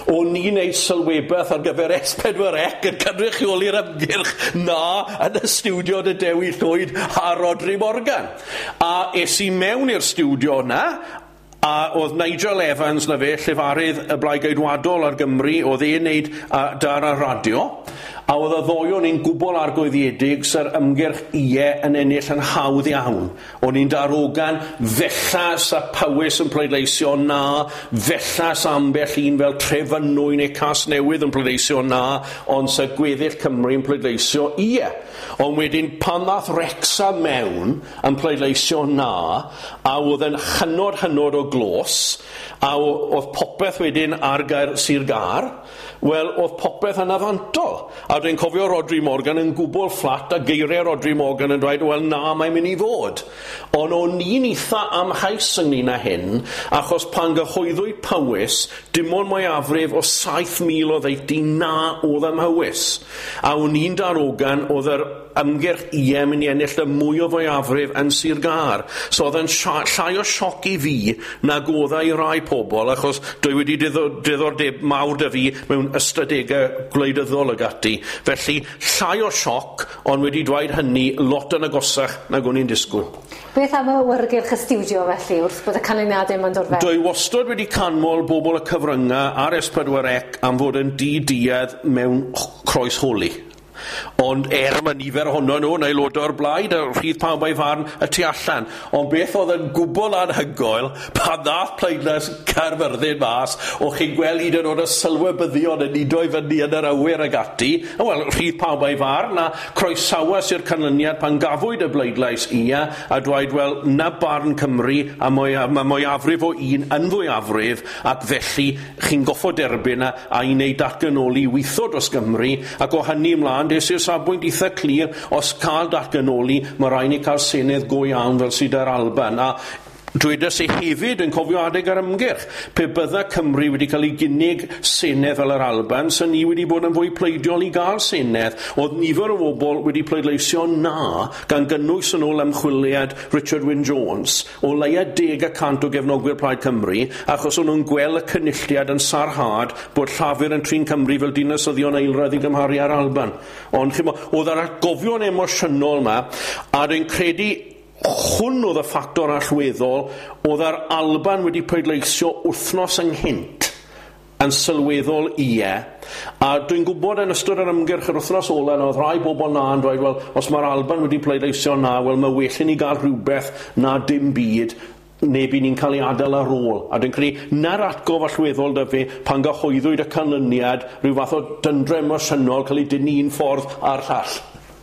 O'n i'n neud sylwebeth ar gyfer S4C yn cynrychioli'r ymgyrch na yn y stiwdio 'da Dewi Llwyd a Rhodri Morgan. A es i mewn i'r stiwdio 'na, a oedd Nigel Evans 'na fe, llefarydd y Blaid Geidwadol ar Gymru, oedd e'n neud dar ar radio, a oedd y ddou o'n ni'n gwbl argoeddiedig sa'r ymgyrch ie yn ennill yn hawdd iawn. O'n i'n darogan, fella sa Powys yn pleidleisio na, fella sa ambell un fel Trefynwy neu Casnewydd yn pleidleisio na, ond sa gweddill Cymru yn pleidleisio ie. Ond wedyn pan ddath Wrecsam mewn yn pleidleisio na, a oedd yn hynod hynod o glos, a oedd popeth wedyn ar gair Sir Gâr, wel, oedd popeth yn afantol. A dwi'n cofio Rhodri Morgan yn gwbl fflat a geiriau Rhodri Morgan yn dweud, wel na, mae'n mynd i fod. Ond o'n i'n eitha amheus ynglyn â hyn, achos pan gyhoeddwyd Powys, dim ond mwyafrif o 7,000 o ddeutu na oedd ym Mhowys. A o'n i'n darogan oedd yr ymgyrch ie mynd i ennill y mwy o fwyafrif yn Sir Gâr. So oedd yn llai o sioc i fi nag oedd e i rai pobl, achos dwi wedi diddordeb mawr 'da fi mewn ystadegau gwleidyddol ag ati. Felly, llai o sioc, ond wedi dweud hynny, lot yn agosach nag o'n i'n disgwyl. Beth am y awyrgylch y stiwdio felly, wrth bod y canlyniadau yma'n dod fewn? Dwi wastad wedi canmol bobl y cyfryngau ar S4C am fod yn di-duedd mewn croesholi. Ond er mae nifer ohono nhw yn aelodau o'r blaid a rhydd pawb a'i farn y tu allan. Ond beth oedd yn gwbl anhygoel, pan ddath pleidlais Caerfyrddin mas, o'ch chi'n gweld hyd yn oed y sylwebyddion yn udo i fyny yn yr awyr ag ati. Wel, rhydd pawb a'i farn, a croesawas i'r canlyniad pan gafwyd y bleidlais ia, a dweud, wel, na barn Cymru, a mae mwyafrif o un yn fwyafrif, ac felly chi'n goffod derbyn a i wneud datganoli weithio dros Gymru, ac o hynny ymlaen, des i'r safbwynt eitha clir, os cael datganoli, mae rhaid ni cael senedd go iawn fel sydd ar Alban. A dwedes i hefyd yn cofio adeg yr ymgyrch, pe bydda Cymru wedi cael ei gynnig senedd fel yr Alban, sy'n ni wedi bod yn fwy pleidiol i gael senedd. Oedd nifer o bobl wedi pleidleisio na, gan gynnwys yn ôl ymchwiliad Richard Wyn Jones, o leia 10% o gefnogwyr Plaid Cymru, achos o'n nhw'n gweld y cynulliad yn sarhad bod Llafur yn trin Cymru fel dinasyddion eilradd i gymharu â'r Alban. Ond chimo, oedd yr atgofion emosiynol yma, a dwi'n credu hwn oedd y ffactor allweddol, oedd yr Alban wedi pleidleisio wythnos ynghynt yn sylweddol ie, a dwi'n gwybod yn ystod yr ymgyrch yr wythnos ola na oedd rhai bobl na yn dweud, wel, os mae'r Alban wedi pleidleisio na, wel, mae well i ni gael rhywbeth na dim byd, neu by ni'n cael ei adael ar ôl. A dwi'n credu na'r atgof allweddol da fi pan gyhoeddwyd y canlyniad, rhyw fath o dyndra emosiynol cael ei dynnu un ffordd a'r llall.